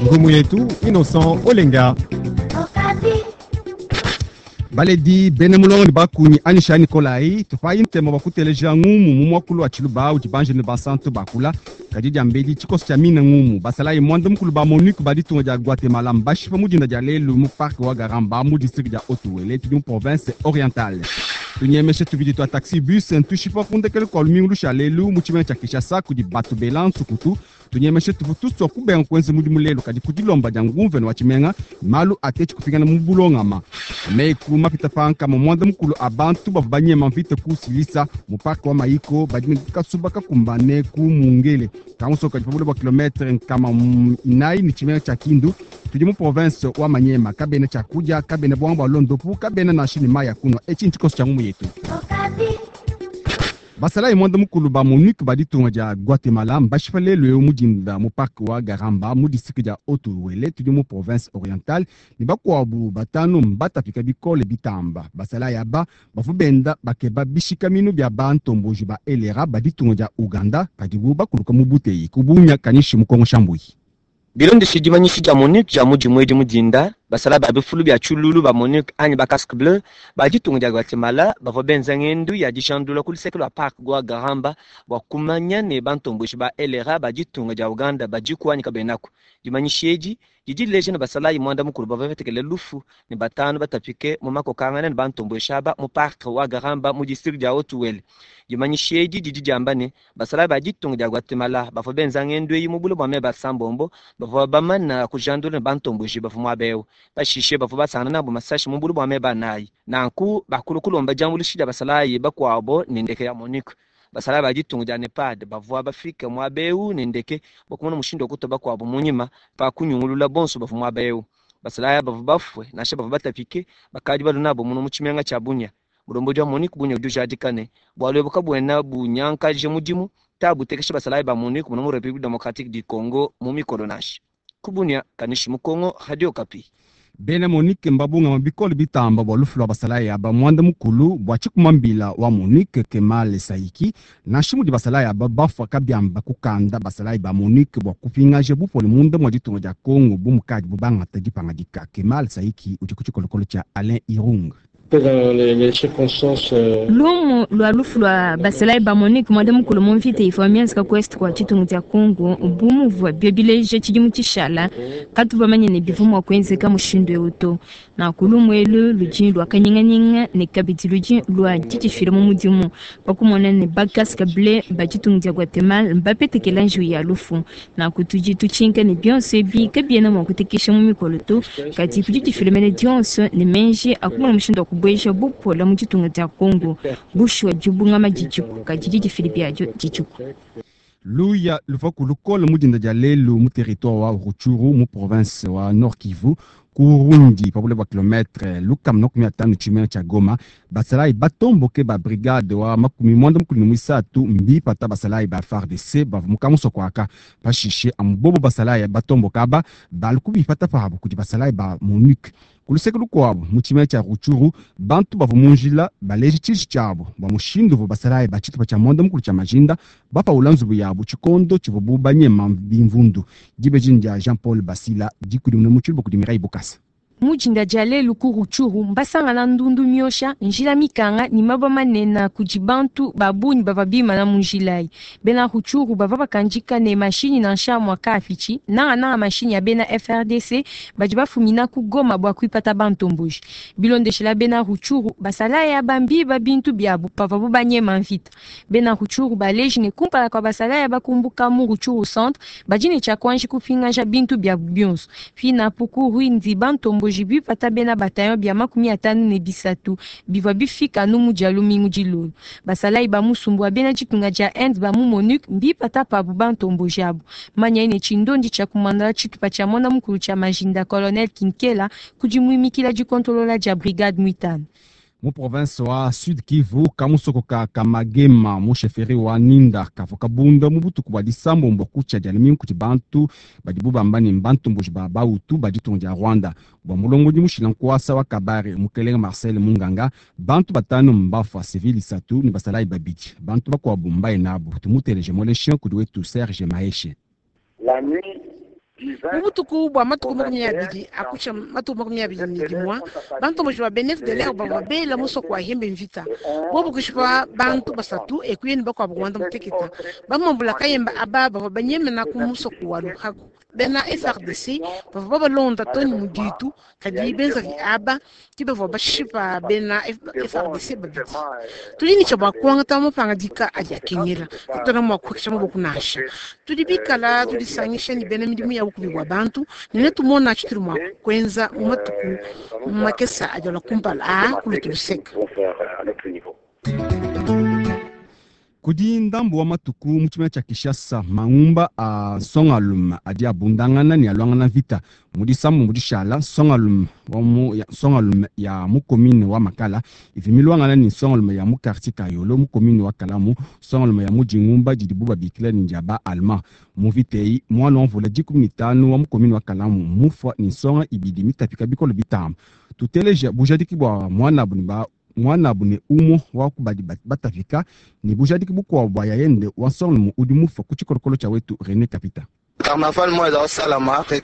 Ngumu yetu Innocent Olenga. Baledi bena mulongo ne bakunyi anyisha Nikolayi tupayi ntema bua kuteleja ngumu mu muakulu wa tshiluba udi banjelu ne bansantu bakula. Kadi diambedi tshikoso tshia mina ngumu basalayi muanda mukulu ba MONUC ba ditunga dia Guatemala mbashipa mu dinda dia lelu mu parc wa Garamba mu district dia Haut-Uele tudi mu province orientale. Tunyemeshe tubidi tua taxi bus ntushipa ku ndekelu kua lumingu lusha lelu mu tshimenga tshia Kinshasa kudi batu bela nsukutu. Tunyemeshe tuvua tusua kubenga kuenza mudimu lelu, kadi ku dilomba dia nguvena wa tshimenga malu atetshi kupingana mu bulongama. Meku mapita pa nkama muanda mukulu a bantu bavua banyema mvita ku Silisa mu parc wa Maiko badi ne kasuba kakumbane ku Mungele kamusoko kadi pa bule bua kilometre 400 ne tshimenga tshia Kindu tudi mu province wa Maniema. Kabena tshiakudia, kabena buanga bua londopu, kabena nansha ne mayi a kunua. Etshi ntshikoso tshia ngumu yetu. Basalayi muanda mukulu ba MONUC ba ditunga dia Guatemala mbashipa lelu eu mu dinda mu parc wa Garamba mu district dia Haut-Uele tudi mu province orientale ne bakuabu batanu mbatapika bikole bitamba. Basalayi aba bavua benda bakeba bishikaminu bia bantomboji ba LRA ba ditunga dia Uganda padibu bakuluka mu buteyi ku Bunia Kanishi mu Kongo Shambuyi. Bilondeshile dimanyishi dia MONUC dia mu dimue edi mu dinda, basalayi ba bifulu bia tshiluilu ba MONUC anyi ba casque bleu ba ditunga dia Guatemala bavua benza ngendu ya dijandula ku luseke lua parc wa Garamba bua kumanya ne bantomboji ba LRA ba ditunga dia Uganda badiku anyi kabenaku. Dimanyishi edi didi dileja ne basalayi muanda mukulu bavua batekele lufu ne batanu batapike mu makokangana ne bantomboji aba mu parc wa Garamba mu district dia Haut-Uele. Dimanyishi edi didi diamba ne basalayi ba ditunga dia Guatemala bavua benza ngendu eyi mu bule bua meba asambombo bavua bamana kujandula ne bantomboji bavua muaba eu. Pashishe bavua basangana nabo masashi mu bule bua meba anayi. Nanku bakulu kulomba diambuluisha dia basalayi bakuabo ne ndeke ya MONUC. Basalayi ba ditunga dia NEPAD bavua bafike muaba eu ne ndeke bua kumona mushindu wa kutua bakuabo mu nyima pa kunyungulula bonso bavua muaba eu. Basalayi bavua bafue nansha bavua batapike bakadi balue nabo muno mu tshimenga tshia Bunia. Mulombodi wa MONUC Bunia udi ujadika ne bualu ebu kabuena bunyankaje mudimu ta butekesha basalayi ba MONUC muno mu République démocratique du Congo mu mikolo nansha. Ku Bunia, Kanishi mu Congo, Radio Okapi. Bena MONUC mbabungama bikole bitamba bua lufu lua basalayi aba muanda mukulu bua tshikuma mbila wa MONUC Kemal Saiki. Nansha mudi basalayi aba bafua kabiamba kukanda basalayi ba MONUC bua kupingaja bupole munda mua ditunga dia Congo bu mukadibu bangata dipangadika. Kemal Saiki udi ku tshikolokolo tshia Alain Irung. Lumu lua lufu lua basalayi ba MONUC muanda mukulu mu mvita ivua mienzeka ku est kua tshitungu dia Congo bu muvua bio bileja tshidimu tshishala, katu bamanye ne bivua mua kuenzeka mushindu eu to. Nanku lumu elu ludi lua kanyinganyinga ne kabidi ludi lua didifila mu mudimu pa kumona ne ba casque bleu ba ditunga dia Guatemala mbapetekela njiwu ya lufu. Nanku tudi tutshinka ne bionso ebi kabiena mua kutekesha mu mikolo to, kadi ku didifila mene dionso ne meji a kumona mushindu wa kubueja bupola mu ditunga dia Congo. Bushuwa dibungama didiku, kadi didifila biadio didiku. Luya luvua ku lukole mu dinda dia lelu mu territoire wa Rutshuru mu province wa Nord Kivu ku Rundi pa bule bua kilometre 150 tshimenga tshia Goma. Basalayi batomboke ba brigade wa 33 mbipata basalayi ba FARDC bavua mu kamusoko aka. Pashishe amu bobo basalayi batomboka aba balu kubipata pabu kudi basalayi ba MONUC. Ku luseke lukuabu mu tshimenga tshia Rutshuru bantu bavua mu njila baleje tshiji tshiabu bua mushindu uvua basalayi ba tshitupa tshia muanda mukulu tshia Majinda bapaula nzubu yabu tshikondo tshivuabu banyema bimvundu. Dibeji dia Jean Paul Basila dikudimuna mu tshiluba kudi Mireille Bukasa. Mu dinda dia lelu ku Rutshuru mbasangana ndundu miosha, njila mikanga ne mabue manene kudi bantu ba bungi bavua bimana mu njila ayi. Bena Rutshuru bavua bakandika ne mashinyi nansha mua kaapitshi, nangananga mashinyi a bena FARDC badi bafumina ku Goma bua kuipata bantomboji. Bilondeshela bena Rutshuru, basalayi aba mbiba bintu biabu pavuabu banyema mvita. Bena Rutshuru baleji ne kumpala kua basalayi aba kumbuka mu Rutshuru centre, badi ne tshia kuanji kupingaja bintu biabu bionso. Pinapu ku Rwindi bantomboji bipata bena bataillon bia 53 bivua bifika anu mu dia lumingu dilolo. Basalayi ba musumbu wa bena ditunga dia Inde ba mu MONUC mbipata pabu bantomboji abu. Manya ne tshindondi tshia kumandala tshitupa tshia muanda mukulu tshia Majinda Colonel Kinkela kudi muimikila dikontolola dia brigade muitanu. Mu province wa Sud Kivu kamusoko ka Kamagema mu chefferie wa Ninda kavua kabunda mu butuku bua disambombo kutshia dia lumingu kudi bantu badibu bamba ne mbantomboji ba Bahutu ba ditunga dia Rwanda. Bua mulongodi mushila nkuasa wa Kabare mukelenge Marcel Munganga, bantu batanu mbafua civil isatu ne basalayi babidi, bantu bakuabu mbaye nabu. Tumuteleje moleshe kudi wetu Serge Maheshe. La nuit. Mu butuku bua matuku 20 akutshia matuku 21, bantomboji ba bena FDLR bavua bela musoko wa Hembe mvita. Bobu kushipa bantu 3 ekuye ne bakuabu 11. Bamambula kayemba aba bavua banyemena ku musoko wa Luhaku. Bena FARDC bavua babalonda too ne mu ditu, kadi benzavi aba ke bavua bashipa bena FARDC 2. Tudi ne tshia bua kuangata mapangadika adi akengela, katuena mua kuhekesha maboko nansha. Tudi bikala tudisangisha ne bena midimu ya bukubi bua bantu ne netumona tshitudi mua kuenza mu matuku makese adi alua kumpala aa ku lutu luseke. Kudi ndambu wa matuku mu tshimenga tshia Kinshasa, mangumba a nsongalume adi abundangana ne aluangana mvita. Mu disambu dishala, nsongalume wa mu ya, nsongalume ya mu commune wa Makala ivi miluangana ne nsongalume ya mu quartier Kayolo mu commune wa Kalamu, nsongalume ya mu dingumba didibu babikila ne dia ba allemand. Mu mvita eyi, mwana wa mvula 15 wa mu commune wa Kalamu mufua ne nsonga 2 mitapika bikole bitamba. Tuteleja bujadiki bua mwanabu ne ba mwanabu ne umo wa kubadi batapika ne bujadiki bukuabu bua yayende wa nsongalume udi mufua ku tshikolokolo tshia wetu René Kapita.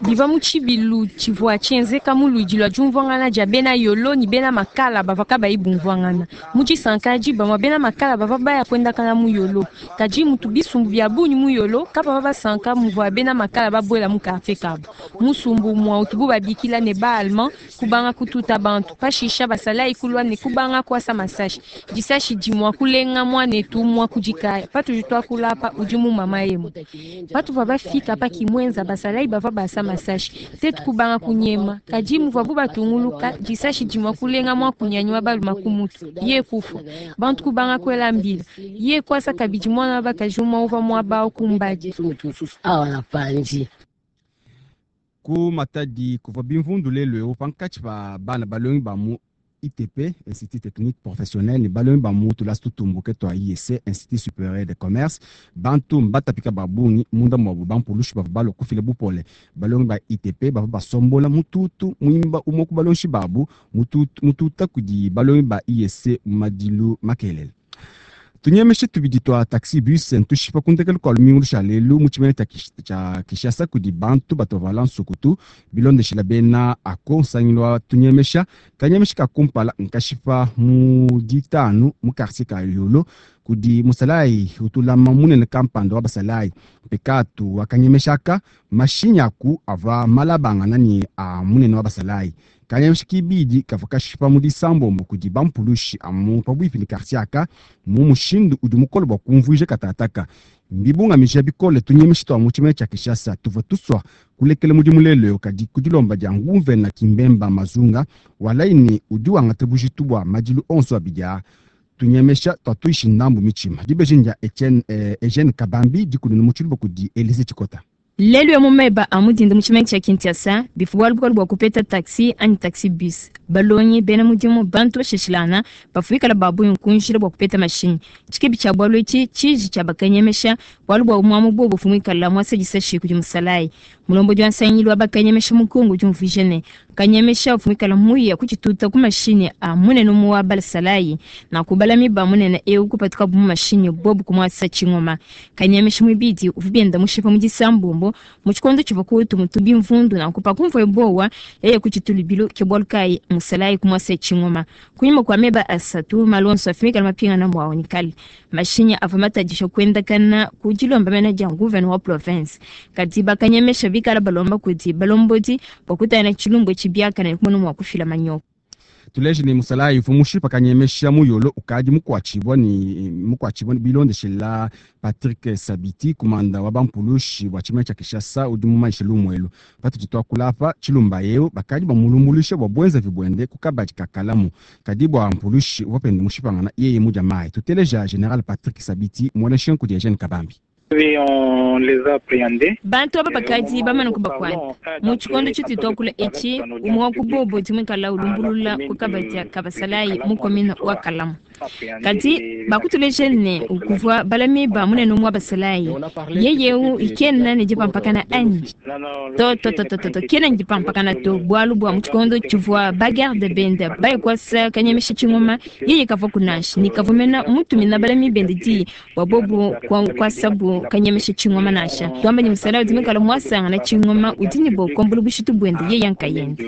Biva mu tshibilu tshivua tshienzeka mu luidi lua diumvuangana dia bena Yolo ne bena Makala bavua kabayi bumvuangana. Mu disanka adi, bamue bena Makala bavua baya kuendakana mu Yolo. Kadi mutu bisumbu bia bungi mu Yolo kabavua basanka muvua bena Makala babuela mu quartier kabu. Musumbu umue utubu babikila ne ba allemand kubanga kututa bantu. Pashisha basalayi kulua ne kubanga kuasa masashi. Disashi dimua kulenga mwanetu umue kudikaya. Patudi tuakula apa udi mu mama yemu. Patuvua bafika pa kimwenza basalayi bavua basa masashi. Tetu kubanga kunyema. Kadi muvuabu batunguluka disashi dimua kulenga mwakunyanyi wa baluma ku mutu. Ye kufwa. Bantu kubanga kuela mbila. Ye kwasa kabidi mwana wa bakaji umue uvua muaba awu kumbadi. Ku Matadi kuvua bimvundu lelu eu pankatshi pa bana balongi ba mu ITP, Institut Technique Professionnel, ne balongi ba mu tulasa tutumbuke tua IEC, Institut Supérieur de Commerce. Bantu mbatapika ba bungi munda muabu bampulushi bavua balua kufila bupole. Balongi ba ITP bavua basombola mututu muimba umue ku balongi babu mututu, mututa kudi balongi ba IEC mu madilu makelele. Tunyemeshe tubidi tua taxi bus ntushipa ku ndekelu kua lumingu lusha lelu mu tshimenga tshia Kinshasa kudi bantu batovala nsukutu bilondeshela bena ako nsangilu wa tunyemesha. Kanyemesha ka kumpala nkashipa mu ditanu mu quartier ka Yolo kudi musalayi utulama munene kampanda wa basalayi. Mpekatu wakanyemeshaka mashinyi aku ava malabangana ne a munene wa basalayi. Kanyemesha kibidi kavua kashipa mu disambombo kudi bampulushi amu pabuipi ne quartier aka mu mushindu udi mukole bua kumvuija katataka. Mbibungamija bikole tunyemesha tua mu tshimenga tshia Kinshasa tuvua tusua kulekela mudimu lelu eu, kadi ku dilomba dia nguvena Kimbemba Mazunga walayi ne udi wangata bujitu bua madilu onso abidi aa. Tunyemesha tua tuishi ndambu mitshima. Dibeji ndia Eugene Kabambi dikununu mu tshiluba kudi Elise Tshikota. Lelu ya mu meba a mudinda mu tshimenga tshia Kinshasa, bivua bualu bukole bua kupeta taxi anyi taxi bus. Balongi bena mudimu bantu bashishilana bafuikala ba bungi ku njila bua kupeta mashinyi. Tshikibi tshia bualu etshi tshiji tshia bakanyemesha bualu bua muamu bobo fumuikala mwasa disashi kudi musalayi. Mulombodi wa nsangilu wa bakanyemesha mu Kongo udi umvuija ne kanyemesha fumuikala muya kutshituta ku mashinyi a munene mu wa balasalayi na kubalami ba munene eu kupatuka bu mashinyi bobo kumwasa tshingoma. Kanyemesha mwibidi uvua bienda mushipa mu disambombo mu tshikondo tshivua kutu mutubi mvundu na kupa kumvua bowa yeye kuchitulubilo ke bualu kayi musalayi kumwasa tshingoma. Kunyima kwa meba 3 malonso afimikala mapingana mwawo nikali mashinyi avua matadisha kuendakana ku dilomba mena dia nguvene wa province. Kadi bakanyemesha bikala balomba kudi balombodi bua kutana tshilumbu tshibiakana ne kumona mua kufila manyoko. Tuleje ne musalayi uvua mushipa kanyemesha muyolo ukadi mukuatshibua ne mukuatshibua bilondeshela Patrick Sabiti kumanda wa bampulushi bua tshimenga tshia Kinshasa udi mumanyishe lumuelu. Patudi tuakula apa tshilumba eu bakadi bamulumbuluisha bua buenzavi buende ku kabadi ka Kalamu. Kadi bua mpulushi uvua pende mushipangana yeye mudia mayi. Tuteleja General Patrick Sabiti muoneshe kudi Eugene Kabambi. Oui, on les a appréhendés. Bantu aba bakadi bamana kubakwata mu tshikondo tshitudi tuakula etshi umue wa ku bobo dimwikala ulumbulula ku kabadi ka basalayi mu commune wa Kalamu. Kadi bakutuleja ne, kuvua balami ba munene umue wa basalayi. Yeye eu kena ne dipampakana anyi? To, to, to, to, to, to, kena ne dipampakana to, bualu bua mu tshikondo tshivua bagarde bende baye kuasa kanyemesha tshingoma, yeye kavuaku nansha, ne kavua mena mutumina balami bende diyi bua bobu kuasabu kanyemesha tshingoma nansha. Tuamba ne, musalayi udi muikale muasangana tshingoma udi ne bua kuambula bushitu buende yeye nkayende.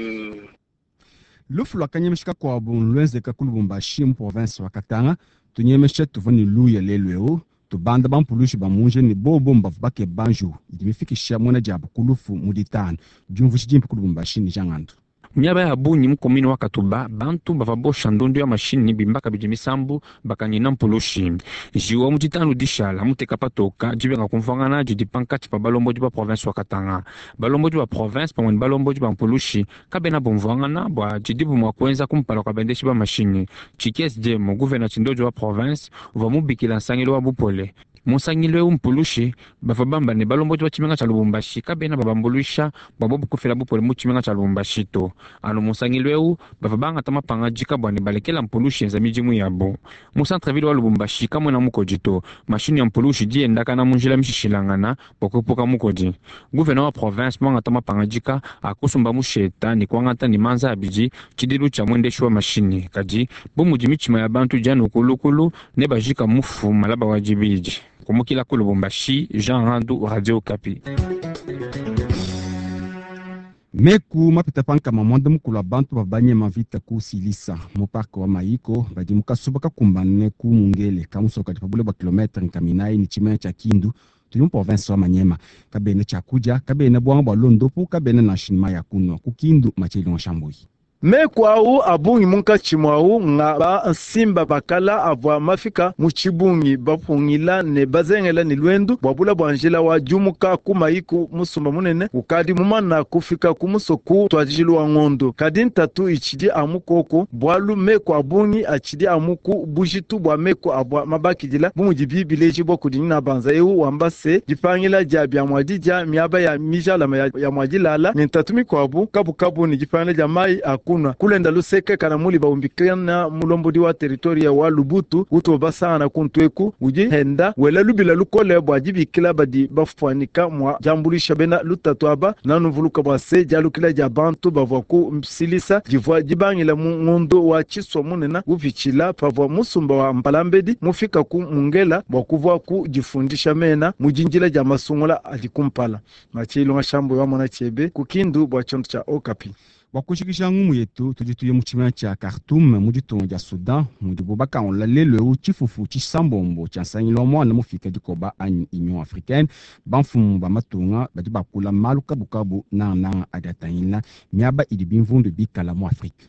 Lufu lua kanyemesha kakuabu nluenzeka ku Lubumbashi mu province wa Katanga. Tunyemesha tuvua ne luya lelu eu tubanda bampulushi ba mu njila ne bobo mbavua bakeba njiwu idi mifikisha muena diabu ku lufu mu ditanu. Diumvuija dimpe ku Lubumbashi ne Jean Ngandu. Miaba ya bungi mu commune wa Katuba, bantu bavua bosha ndondu ya mashinyi, bimba kabidi misambu, bakanyina mpulushi. Njiwu wa mu ditanu dishala muteka patoka dibenga kumvuangana didi pankatshi pa balombodi ba province wa Katanga. Balombodi ba province pamue ne balombodi ba mpulushi kabena bumvuangana bua tshidibu mua kuenza kumpala kua bendeshi ba mashinyi. Tshikes Djemo, gouvena tshindoji wa province, uvua mubikila nsangilu wa bupole. Mu nsangilu eu mpulushi bavua bamba ne, balombodi ba tshimenga tshia Lubumbashi kabena babambuluisha bua bobu kufila bupole mu tshimenga tshia Lubumbashi to. Anu mu nsangilu eu bavua bangata mapangadika bua ne balekela mpulushi yenza midimu yabu. Mu centre-ville wa Lubumbashi kamuena mukodi to. Mashinyi ya mpulushi idi yendakana mu njila mishishilangana bua kuepuka mukodi. Gouverneur wa province muangata mapangadika a kusumba musheta ne kuangata ne manza abidi tshidilu tshia muendeshi wa mashinyi. Kadi bu mudi mitshima ya bantu idi anu kulukulu, nebajika mufu malaba wa dibidi. Kumukila ku Lubumbashi, Jean Randu, Radio Okapi. Meku mapita pa nkama muanda mukulu a bantu bavua banyema mvita ku Silisa mu parke wa Maiko badi mu kasuba kakumbane ku Mungele ka musoko kadi pa bule bua kilometre nkama inayi ne tshimenga tshia Kindu tudi mu province wa Maniema. Kabena tshiakudia, kabena buanga bua londopu, kabena nansha ne mayi a kunua ku Kindu. Mathieu Ilunga Shambuyi. Meku au a bungi munkatshi muawu nga ba nsimba ba kala avua mafika mu tshibungi bapungila ne bazengela ne luendu bua bula bua njila wa diumuka ku mayi ku musumba munene ukadi mumana kufika ku musoko ku ntuadijilu wa ngondo. Kadi ntatu itshidi amu koku bualu meku a bungi atshidi amu ku bujitu bua meku avua mabakidila bu mudibi bilejibua kudi Ninabanza eu wamba se, dipangila dia bia mua didia, miaba ya mijalama ya mua dilala ne ntatu mikuabu kabukabu ne dipangila dia mayi a kunua. Kulenda luseke kana muli baumbikana mulombodi wa territoria wa Lubutu utu basangana kuntu eku udi henda wela lubila lukole bua dibikila badi bafuanyika mua diambuluisha bena lutatu aba. Nanuvuluka bua se dialukila dia bantu bavua ku Msilisa divua dibangila mu ngondo wa Tshisua munene upitshila pavua musumba wa Mpalambedi mufika ku Mungela bua kuvua ku difundisha mena mu dindila dia masungula adi kumpala. Mathieu Ilunga Shambuyi wa Mona Tshiebe ku Kindu bua tshiondo tshia Okapi. Bua kujikija ngumu yetu, tudi tuya mu tshimenga tshia Khartoum mu ditunga dia Soudan mudibu bakangula lelu eu tshifufu tshisambombo tshia nsangilu wa muana mufika dikoba anyi Union Africaine. Bamfumu ba matunga badi bakula malu kabukabu nangananga adi atangila miaba idi bimvundu bikala mu Afrike.